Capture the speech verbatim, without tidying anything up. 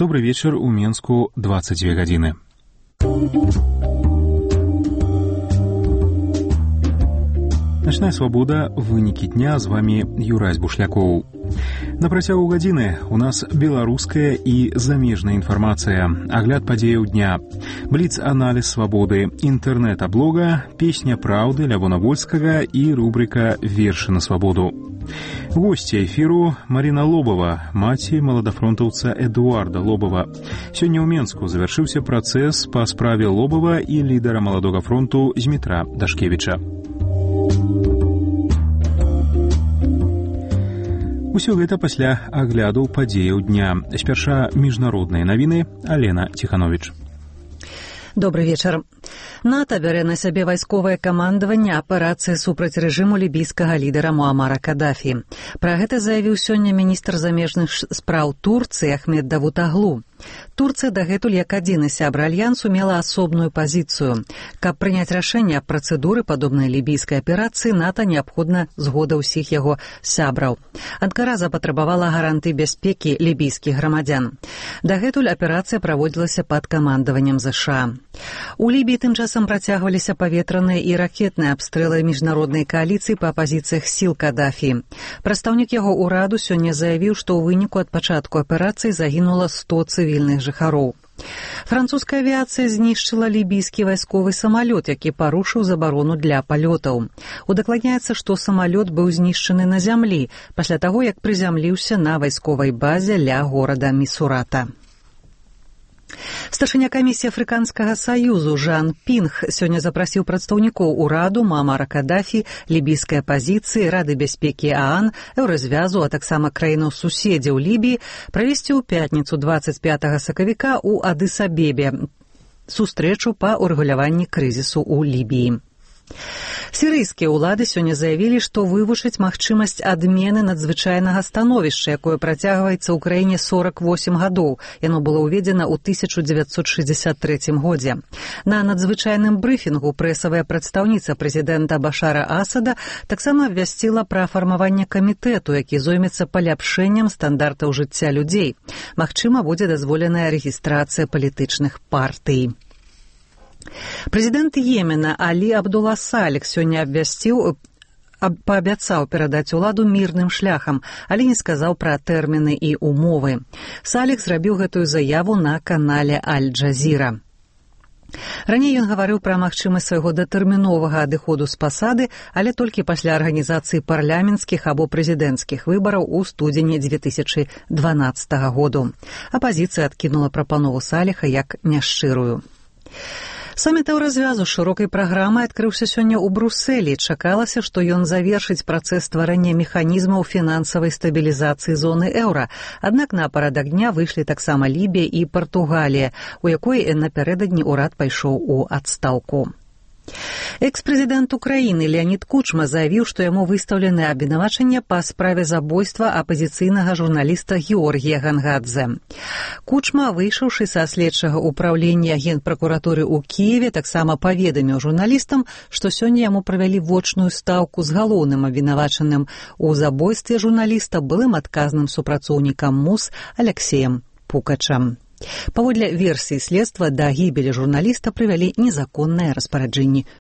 Добрый вечер, у Менску двадцать две гадзіны. Начная свобода, вынікі дня, з вами Юрась Бушлякоў. На працягу гадзіны у нас беларуская і замежная інфармацыя, агляд падзеяў дня, бліц-аналіз свабоды, інтэрнэт-аблога, песня праўды Лявона Вольскага і рубрика «Вершы на свабоду». Госці эфіру Марина Лобова, маці маладафронтаўца Эдуарда Лобова. Сёння ў Менску завяршыўся працэс па справе Лобова і лідара маладога фронту Змітра Дашкевіча. Усё гэта пасля агляду падзеяў дня. Спярша міжнародныя навіны. Алена Ціхановіч. Добрый вечар. НАТО бярэ на сябе вайсковае камандаванне аперацыі супраць рэжыму лібійскага лідара Муамара Кадафі. Пра гэта заявіў сёння міністр замежных спраў Турцыі Ахмед Давутаглу. Турцыя дагэтуль як адзіны сябра альянсу мела асобную пазіцыю. Каб прыняць рашэнне аб працэдуры падобнай лібійскай аперацыі, НАТО неабходна згода ўсіх яго сябраў. Анкара запатрабавала гаранты бяспекі лібійскіх грамадзян. Дагэтуль аперацыя праводзілася пад камандаваннем ЗША. У Лібіі тым часам працягваліся паветраныя і ракетныя абстрэлы міжнароднай кааліцыі па пазіцыях сіл Кадафі. Прадстаўнік яго ўраду сёння заявіў, што ў выніку ад пачатку аперацыі загінула сто цывільных жыхароў. Французская авіяцыя знішчыла лібійскі вайсковы самалёт, які парушыў забарону для палётаў. Удакладняецца, што самалёт быў знішчаны на зямлі пасля таго, як прызямліўся на вайсковай базе ля горада Місурата. Старшыня камісіі Афрыканскага саюзу Жан Пінг сёння запрасіў прадстаўнікоў ураду Муамара Кадафі, лібійскай апазіцыі, Рады бяспекі ААН, Еўразвязу, а таксама краінаў суседзяў Лібіі правесці ў пятніцу двадцать пятага сакавіка ў Адыс-Абебе сустрэчу па ўрэгуляванні крызісу ў Лібіі. Сірыйскія ўлады сёння заявілі, што вывучаць магчымасць адмены надзвычайнага становішча, якое працягваецца ў краіне сорок восемь гадоў. Яно было ўведзена ў тысяча дзевяцьсот шэсцьдзясят трэцім годзе. На надзвычайным брыфінгу прэсавая прадстаўніца прэзідэнта Башара Асада таксама абвясціла пра фармаванне камітэту, які зоймецца паляпшэннем стандартаў жыцця людзей. Магчыма, будзе дазволеная рэгістрацыя палітычных партый. Прэзідэнт Йемена Алі Абдула Саліх сёння абвясціў, паабяцаў перадаць уладу мірным шляхам, але не сказаў пра тэрміны і умовы. Саліх зрабіў гэтую заяву на канале Аль-Джазіра. Раней ён гаварыў пра магчымасць свайго датэрміновага адыходу з пасады, але толькі пасля арганізацыі парламенцкіх або прэзідэнцкіх выбараў у студзені дзве тысячы дванаццатага году. Апазіцыя адкінула прапанову Саліха як няшчырую. Саміт Еўразвязу з шырокай праграмай адкрыўся сёння ў Брусэлі. Чакалася, што ён завершыць працэс стварэння механізмаў фінансавай стабілізацыі зоны еўра. Аднак на парадак дня выйшлі таксама Лібія і Партугалія, у якой напярэдадні ўрад пайшоў у адстаўку. Экс-прэзідэнт Украіны Леанід Кучма заявіў, што яму выстаўлены абвінавачанне па справе забойства апазіцыйнага журналіста Георгія Гангадзе. Кучма, выйшаўшы са следчага ўпраўлення генпракуратуры ў Кіеве, таксама паведаміў журналістам, што сёння яму правялі вочную стаўку з галоўным абвінавачаным у забойстве журналіста былым адказным супрацоўнікам МУС Аляксеем Пукачам. Паводле версіі следства, да гібелі журналіста прывялі незаконныя распараджэнні